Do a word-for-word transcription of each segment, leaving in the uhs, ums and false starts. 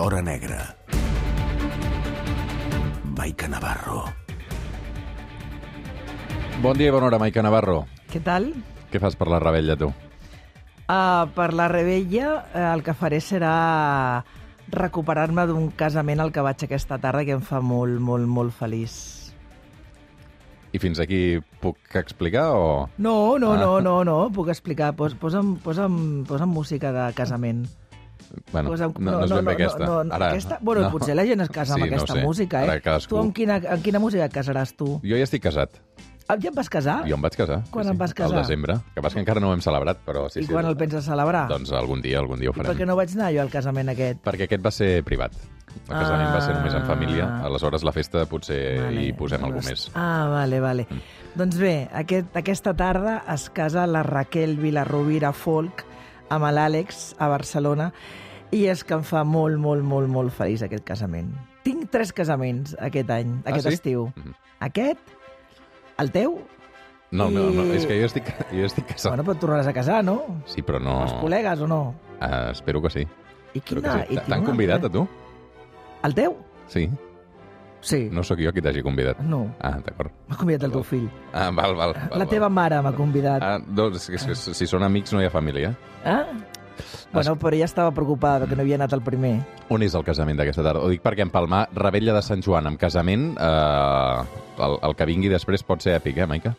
l'hora negra. Maica Navarro. Bon dia i bona hora, Maica Navarro. Què tal? Què fas per la Rebella, tu? Uh, per la Rebella uh, el que faré serà recuperar-me d'un casament al que vaig aquesta tarda que em fa molt, molt, molt feliç. I fins aquí puc explicar o...? No, no, Ah. no, no, no, puc explicar. Pos, posa'm, posa'm, posa'm música de casament. Bueno, Posa'm- no, no és ben bé aquesta. No, no, Ara, aquesta... Bueno, no. potser la gent es casa amb Sí, no aquesta sé. música, Ara eh? cadascú. Tu amb quina, amb quina música et casaràs, tu? Jo ja estic casat. Ah, ja et vas casar? Jo em vaig casar. Quan sí, em sí. vas casar? Al desembre. Que passa que encara no ho hem celebrat, però sí, I sí. quan el penses celebrar? Doncs algun dia, algun dia ho I per farem. què no vaig anar jo al casament aquest? Perquè aquest va ser privat. El casament va ser només en família. Ah. Aleshores, la festa potser Vale. hi posem algú més. Ah, vale, vale. Mm. Doncs bé, aquest, aquesta tarda es casa la Raquel Vilarrubira Folk amb l'Àlex a Barcelona i és que em fa molt, molt, molt, molt feliç aquest casament. Tinc tres casaments aquest any, Ah, aquest sí? estiu. Mhm. Aquest, el teu... No, no, no, I- és que jo estic, jo estic casat. Bueno, però et tornaràs a casar, no? Sí, però no... Els col·legues o no? Uh, espero que sí. I Espero quina... que sí. i tinc T'han una convidat, a altra. tu? El teu? Sí. Sí. No sóc jo qui t'hagi convidat. No. Ah, d'acord. M'ha convidat el teu fill. Ah, val, val. val La teva mare m'ha convidat. Ah, doncs, és que si són amics no hi ha família. Ah? Bueno, però ella estava preocupada perquè no havia anat el primer. On és el casament d'aquesta tarda? Ho dic perquè en Palmar, Rebella de Sant Joan amb casament, eh, el, el que vingui després pot ser èpic, eh, Maica?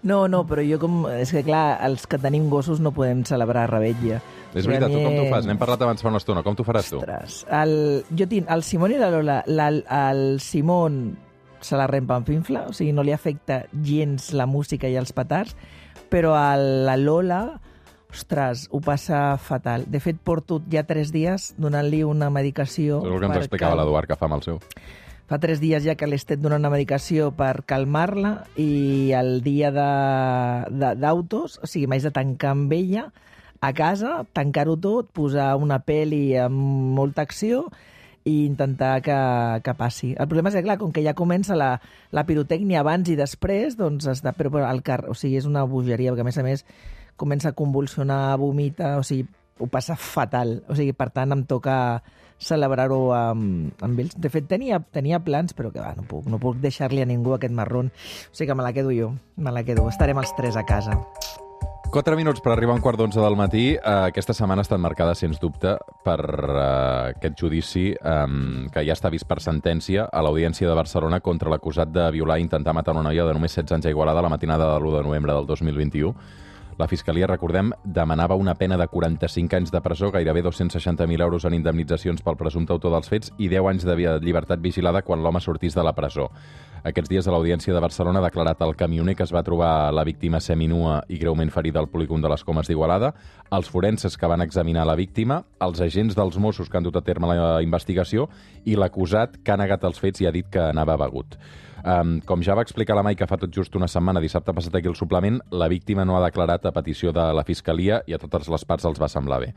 No, no, però jo com... És que, clar, els que tenim gossos no podem celebrar Rebella. És veritat, tu com t'ho fas? N'hem parlat abans fa una estona. Com t'ho faràs tu? Ostres, el, jo tinc el Simón i la Lola. La, el Simón se la rempa en finfla, o sigui, no li afecta gens la música i els petards, però a la Lola, ostres, ho passa fatal. De fet, porto ja tres dies donant-li una medicació... És el que ens per explicava cal- l'Eduard, que fa amb el seu. Fa tres dies ja que li estic donant una medicació per calmar-la i el dia de- de- d'autos, o sigui, m'haig de tancar amb ella a casa, tancar-ho tot, posar una pel·li amb molta acció i intentar que, que passi. El problema és que, clar, com que ja comença la, la pirotècnia abans i després, doncs està... Però, però el car... o sigui, és una bogeria, perquè a més a més comença a convulsionar, vomita, o sigui, ho passa fatal. O sigui, per tant, em toca celebrar-ho amb, amb ells. De fet, tenia, tenia plans, però que va, no puc, no puc deixar-li a ningú aquest marrón. O sigui que me la quedo jo, me la quedo. Estarem els tres a casa. Quatre minuts per arribar a un quart d'onze del matí. Uh, aquesta setmana ha estat marcada, sens dubte, per uh, aquest judici um, que ja està vist per sentència a l'Audiència de Barcelona contra l'acusat de violar i intentar matar una noia de només setze anys a Igualada la matinada de l'u de novembre del dos mil vint-i-u. La Fiscalia, recordem, demanava una pena de quaranta-cinc anys de presó, gairebé dos-cents seixanta mil euros en indemnitzacions pel presumpte autor dels fets i deu anys de llibertat vigilada quan l'home sortís de la presó. Aquests dies a l'Audiència de Barcelona ha declarat el camioner que es va trobar la víctima seminua i greument ferida al polígon de les Comes d'Igualada, els forenses que van examinar la víctima, els agents dels Mossos que han dut a terme la investigació i l'acusat que ha negat els fets i ha dit que anava begut. Um, com ja va explicar la Maica fa tot just una setmana, dissabte passat aquí el suplement, la víctima no ha declarat a petició de la Fiscalia i a totes les parts els va semblar bé.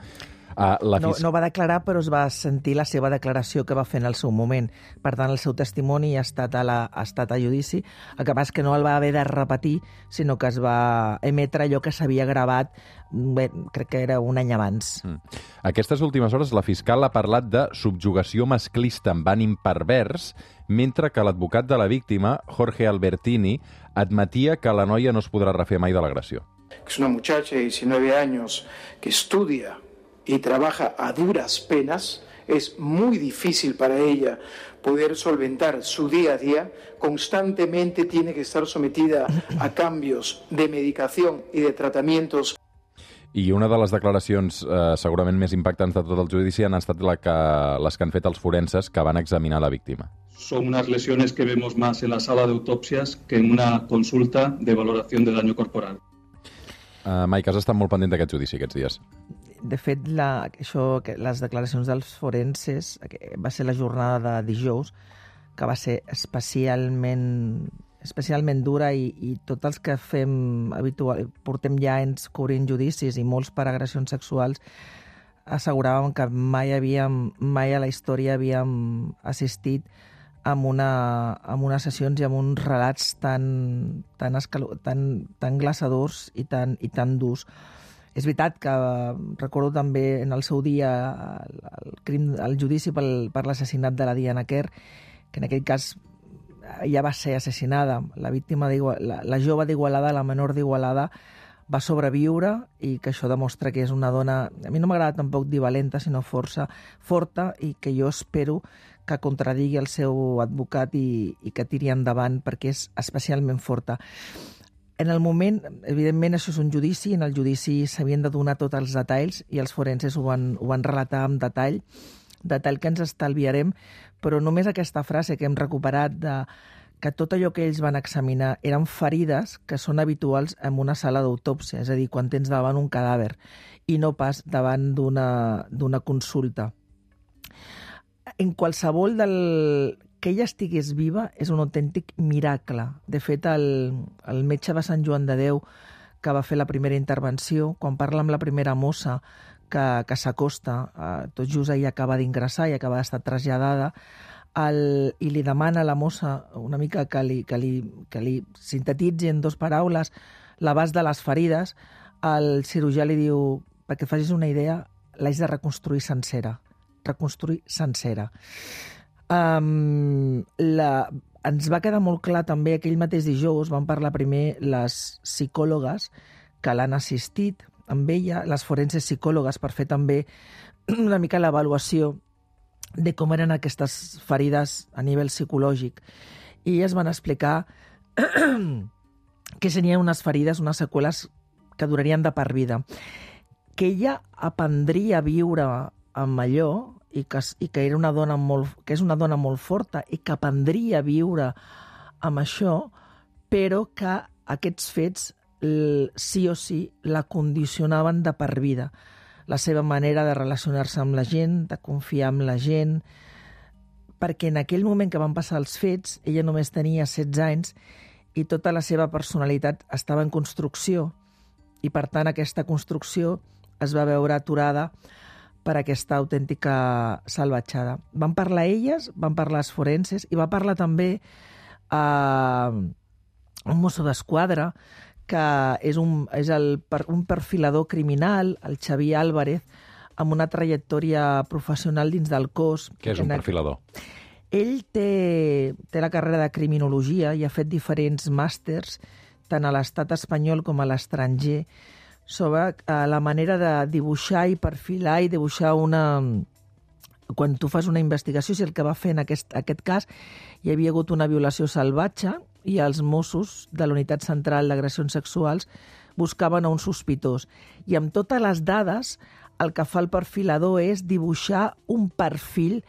Uh, la No, fis... no va declarar, però es va sentir la seva declaració que va fer en el seu moment. Per tant, el seu testimoni ha estat a, la, ha estat a judici. El que passa és que no el va haver de repetir, sinó que es va emetre allò que s'havia gravat, bé, crec que era un any abans. Mm. Aquestes últimes hores la fiscal ha parlat de subjugació masclista amb ànim pervers, mentre que l'advocat de la víctima, Jorge Albertini, admetia que la noia no es podrà refer mai de l'agressió. Es una muchacha de diecinueve años que estudia y trabaja a duras penas. Es muy difícil para ella poder solventar su día a día. Constantemente tiene que estar sometida a cambios de medicación y de tratamientos. I una de les declaracions eh, segurament més impactants de tot el judici han estat la que, les que han fet els forenses que van examinar la víctima. Son unas lesiones que vemos más en la sala de autopsias que en una consulta de valoración de daño corporal. Uh, Maica, has estat molt pendent d'aquest judici aquests dies. De fet, la, això, que les declaracions dels forenses que va ser la jornada de dijous, que va ser especialment especialment dura i, i tots els que fem habitual, portem ja anys cobrint judicis i molts per agressions sexuals asseguràvem que mai havíem, mai a la història havíem assistit amb, una, amb unes sessions i amb uns relats tan, tan, escalo, tan, tan glaçadors i tan, i tan durs. és veritat que recordo també en el seu dia el, el, crim, el judici pel, per l'assassinat de la Diana Kerr, que en aquell cas ja va ser assassinada. La víctima la, la jove d'Igualada, la menor d'Igualada, va sobreviure i que això demostra que és una dona, a mi no m'agrada tampoc dir valenta, sinó força forta, i que jo espero que contradigui el seu advocat i, i que tiri endavant perquè és especialment forta. En el moment, evidentment, això és un judici, en el judici s'havien de donar tots els detalls i els forenses ho van, ho van relatar amb detall, detall que ens estalviarem, però només aquesta frase que hem recuperat de que tot allò que ells van examinar eren ferides que són habituals en una sala d'autòpsia, és a dir, quan tens davant un cadàver i no pas davant d'una d'una consulta. En qualsevol del... que ella estigués viva és un autèntic miracle. De fet, el, el metge de Sant Joan de Déu, que va fer la primera intervenció, quan parla amb la primera mossa que, que s'acosta, eh, tot just ella acaba d'ingressar i acaba d'estar traslladada, el, i li demana a la mossa una mica que li, que li, que li sintetitzi en dues paraules l'abast de les ferides, el cirurgià li diu, perquè et facis una idea, l'haig de reconstruir sencera. Reconstruir sencera. Um, la, ens va quedar molt clar també aquell mateix dijous, van parlar primer les psicòlogues que l'han assistit amb ella, les forenses psicòlogues, per fer també una mica l'avaluació de com eren aquestes ferides a nivell psicològic. I elles van explicar que serien unes ferides, unes seqüeles que durarien de per vida. Que ella aprendria a viure amb allò i que, i que, era una dona molt, que és una dona molt forta i que aprendria a viure amb això, però que aquests fets sí o sí la condicionaven de per vida. La seva manera de relacionar-se amb la gent, de confiar en la gent, perquè en aquell moment que van passar els fets, ella només tenia setze anys i tota la seva personalitat estava en construcció i, per tant, aquesta construcció es va veure aturada per aquesta autèntica salvatjada. Van parlar elles, van parlar els forenses i va parlar també eh, un mosso d'esquadra que és, un, és el, un perfilador criminal, el Xavier Álvarez, amb una trajectòria professional dins del cos. Què és un perfilador? Ell té, té la carrera de criminologia i ha fet diferents màsters, tant a l'estat espanyol com a l'estranger, sobre uh, la manera de dibuixar i perfilar i dibuixar una... Quan tu fas una investigació, si el que va fer en aquest, aquest cas hi havia hagut una violació salvatge i els Mossos de la Unitat Central d'Agressions Sexuals buscaven a un sospitós. I amb totes les dades, el que fa el perfilador és dibuixar un perfil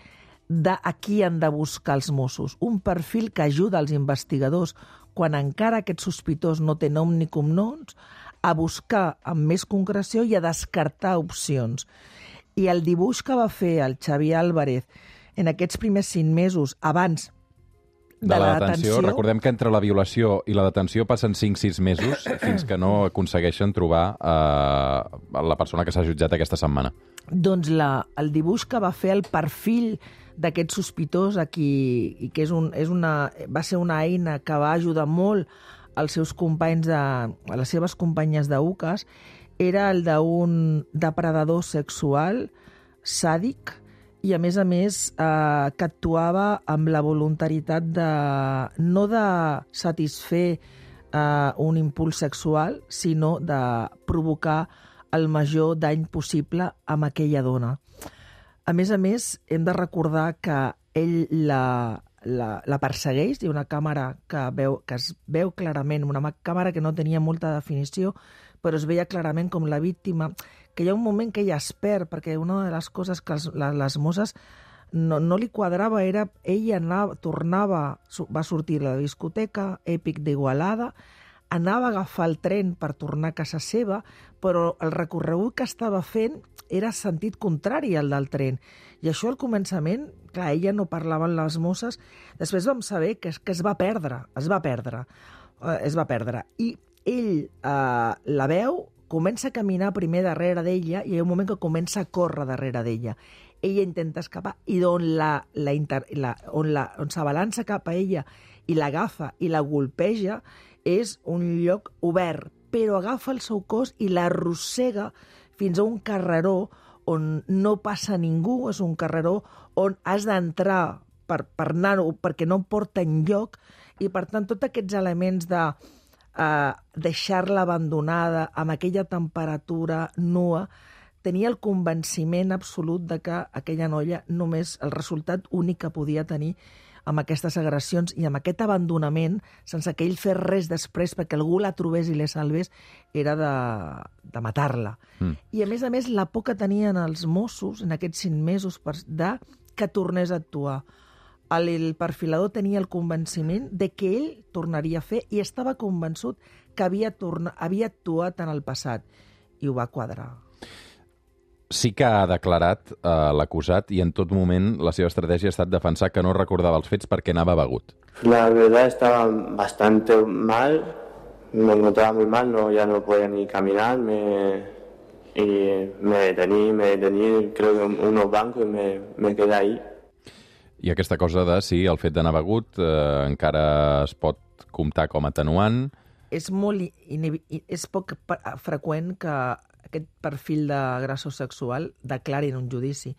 de a qui han de buscar els Mossos. Un perfil que ajuda als investigadors, quan encara aquest sospitós no té nom ni cognoms, a buscar amb més concreció i a descartar opcions. I el dibuix que va fer el Xavier Álvarez en aquests primers cinc mesos abans de, de la, la detenció... Recordem que entre la violació i la detenció passen cinc sis mesos fins que no aconsegueixen trobar eh, la persona que s'ha jutjat aquesta setmana. Doncs la, el dibuix que va fer el perfil d'aquest sospitós aquí, i que és un, és una, va ser una eina que va ajudar molt als seus companys, de, a les seves companyes d'U C A S, era el d'un depredador sexual sàdic i, a més a més, eh, que actuava amb la voluntaritat de, no de satisfer eh, un impuls sexual, sinó de provocar el major dany possible amb aquella dona. A més a més, hem de recordar que ell la, la, la persegueix, i una càmera que, veu, que es veu clarament, una càmera que no tenia molta definició, però es veia clarament com la víctima, que hi ha un moment que ella es perd, perquè una de les coses que els, les, les mosses no, no li quadrava era, ella anava, tornava, va sortir a la discoteca Èpic d'Igualada, anava a agafar el tren per tornar a casa seva, però el recorregut que estava fent era sentit contrari al del tren. I això al començament, clar, ella no parlava amb les mosses, després vam saber que, que es va perdre, es va perdre, eh, es va perdre. I ell eh, la veu, comença a caminar primer darrere d'ella i hi ha un moment que comença a córrer darrere d'ella. Ella intenta escapar i on, la, la inter, la, on, la, on s'abalança cap a ella i l'agafa i la golpeja és un lloc obert, però agafa el seu cos i l'arrossega fins a un carreró on no passa ningú, és un carreró on has d'entrar per, per anar-ho, perquè no porta enlloc, i per tant tots aquests elements de uh, deixar-la abandonada amb aquella temperatura nua, tenia el convenciment absolut de que aquella noia només el resultat únic que podia tenir amb aquestes agressions i amb aquest abandonament, sense que ell fes res després perquè algú la trobés i la salvés, era de, de matar-la. Mm. I a més a més la por que tenien els Mossos en aquests cinc mesos per, de que tornés a actuar. El, el perfilador tenia el convenciment de que ell tornaria a fer i estava convençut que havia, torna, havia actuat en el passat. I ho va quadrar. Sí que ha declarat eh, l'acusat i en tot moment la seva estratègia ha estat defensar que no recordava els fets perquè anava begut. La verdad estaba bastante mal, me encontraba muy mal, no, ya no podía ni caminar, me, y me detení, me detení, creo que en unos bancos y me, me quedé ahí. I aquesta cosa de si el fet d'anar begut eh, encara es pot comptar com a atenuant. És molt és poc freqüent que aquest perfil d'agressor sexual declari en un judici.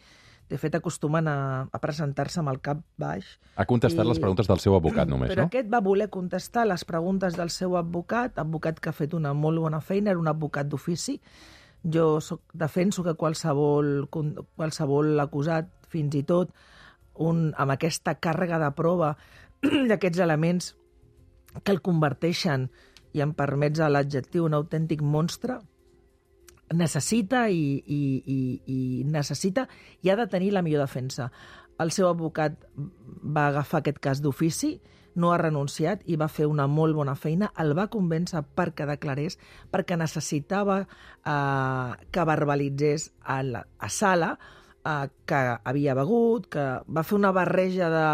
De fet, acostumen a, a presentar-se amb el cap baix. Ha contestat i... les preguntes del seu advocat només, Però no? Però aquest va voler contestar les preguntes del seu advocat, advocat que ha fet una molt bona feina, era un advocat d'ofici. Jo soc, defenso que qualsevol, qualsevol acusat, fins i tot, un, amb aquesta càrrega de prova d'aquests elements que el converteixen, i em permets l'adjectiu, un autèntic monstre, necessita i, i, i, i necessita i ha de tenir la millor defensa. El seu advocat va agafar aquest cas d'ofici, no ha renunciat i va fer una molt bona feina, el va convèncer perquè declarés, perquè necessitava eh, que verbalitzés a, la, a sala eh, que havia begut, que va fer una barreja de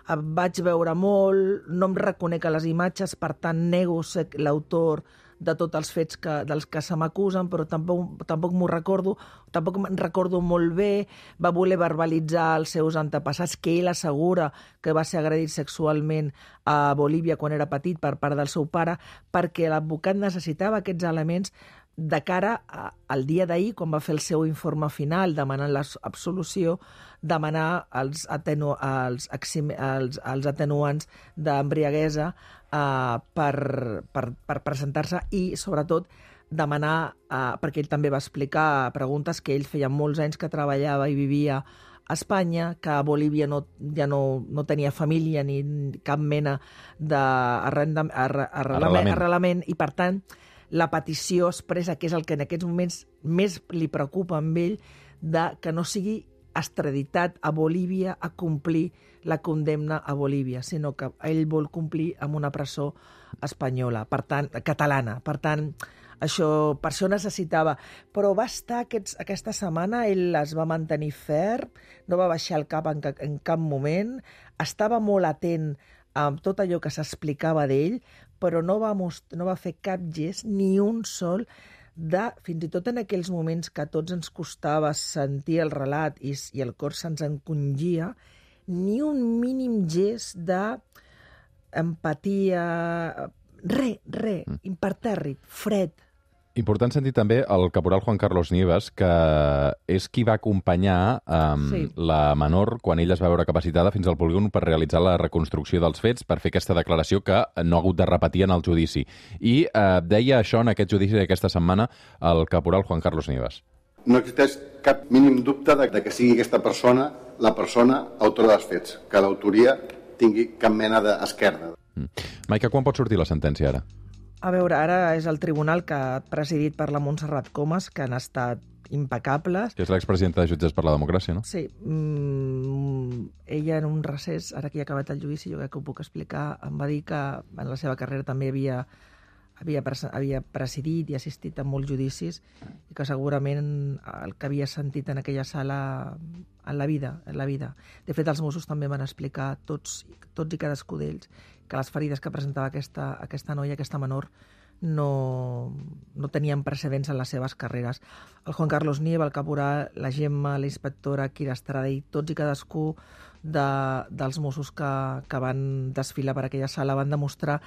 vaig veure molt, no em reconec a les imatges, per tant nego ser l'autor de tots els fets que, dels que se m'acusen, però tampoc, tampoc m'ho recordo, tampoc me'n recordo molt bé, va voler verbalitzar els seus antepassats, que ell assegura que va ser agredit sexualment a Bolívia quan era petit per part del seu pare, perquè l'advocat necessitava aquests elements de cara a, al dia d'ahir, quan va fer el seu informe final demanant l'absolució, demanar els, atenu, els, els, els atenuants d'embriaguesa eh, per, per, per presentar-se i, sobretot, demanar, eh, perquè ell també va explicar preguntes que ell feia molts anys que treballava i vivia a Espanya, que a Bolívia no, ja no, no tenia família ni cap mena d'arrelament, arrelament, arrelament, i, per tant, la petició expressa, que és el que en aquests moments més li preocupa amb ell, de que no sigui extraditat a Bolívia a complir la condemna a Bolívia, sinó que ell vol complir amb una presó espanyola, per tant, catalana. Per tant, això, per això necessitava. Però va estar aquests, aquesta setmana, ell es va mantenir ferm, no va baixar el cap en, en cap moment, estava molt atent amb tot allò que s'explicava d'ell, però no va, most- no va fer cap gest, ni un sol, de, fins i tot en aquells moments que a tots ens costava sentir el relat i, i el cor se'ns encongia, ni un mínim gest d'empatia, res, res, mm. impertèrrit, fred. Important sentir també el caporal Juan Carlos Nieves, que és qui va acompanyar um, sí. la menor quan ella es va veure capacitada fins al polígon per realitzar la reconstrucció dels fets, per fer aquesta declaració que no ha hagut de repetir en el judici. I uh, deia això en aquest judici d'aquesta setmana el caporal Juan Carlos Nieves. No existeix cap mínim dubte de, de que sigui aquesta persona la persona autora dels fets, que l'autoria tingui cap mena d'esquerda. Mm. Maica, quan pot sortir la sentència ara? A veure, ara és el tribunal que ha presidit per la Montserrat Comas, que han estat impecables. Que és l'expresidenta de Jutges per la Democràcia, no? Sí. Mm, ella en un recés, ara que ja ha acabat el judici, jo crec que ho puc explicar, em va dir que en la seva carrera també havia, havia, havia presidit i assistit a molts judicis i que segurament el que havia sentit en aquella sala en la vida, en la vida. De fet, els Mossos també van explicar, tots, tots i cadascú d'ells, que les ferides que presentava aquesta, aquesta noia, aquesta menor, no, no tenien precedents en les seves carreres. El Juan Carlos Nieva, el caporal, la Gemma, la inspectora Kira Estrada i tots i cadascú de, dels Mossos que, que van desfilar per aquella sala van demostrar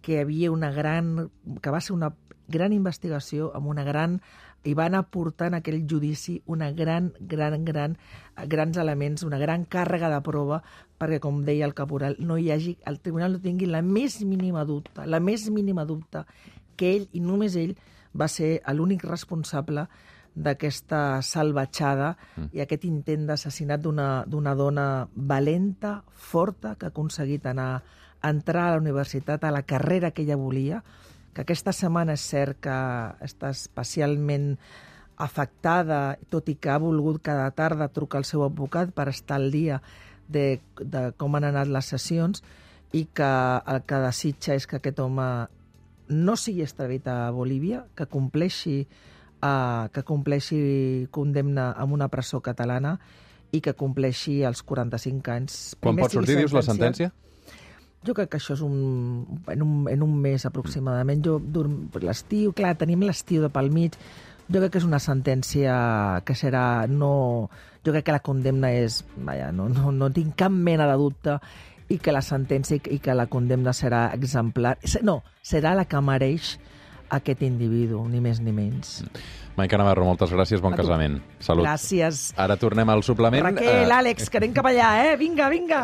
que hi havia una gran... que va ser una gran investigació, amb una gran... i van aportar en aquell judici una gran, gran, gran, grans elements, una gran càrrega de prova perquè, com deia el caporal, no hi hagi, el tribunal no tingui la més mínima dubte, la més mínima dubte que ell, i només ell, va ser l'únic responsable d'aquesta salvatjada mm. i aquest intent d'assassinat d'una dona valenta, forta, que ha aconseguit anar, entrar a la universitat, a la carrera que ella volia, que aquesta setmana és cert que està especialment afectada, tot i que ha volgut cada tarda trucar al seu advocat per estar al dia de, de com han anat les sessions, i que el que desitja és que aquest home no sigui extradit a Bolívia, que compleixi, uh, que compleixi condemna en una presó catalana i que compleixi els quaranta-cinc anys. Quan pot sortir, dius, la sentència? Jo crec que això és un, en, un, en un mes aproximadament. Jo, l'estiu, clar, tenim l'estiu de pel mig. Jo crec que és una sentència que serà... No, jo crec que la condemna és... Vaja, no, no, no tinc cap mena de dubte, i que la sentència i que la condemna serà exemplar. No, serà la que mereix aquest individu, ni més ni menys. Maica Navarro, moltes gràcies, bon casament. Salut. Gràcies. Ara tornem al suplement. Raquel, Àlex, que anem cap allà, eh? Vinga, vinga.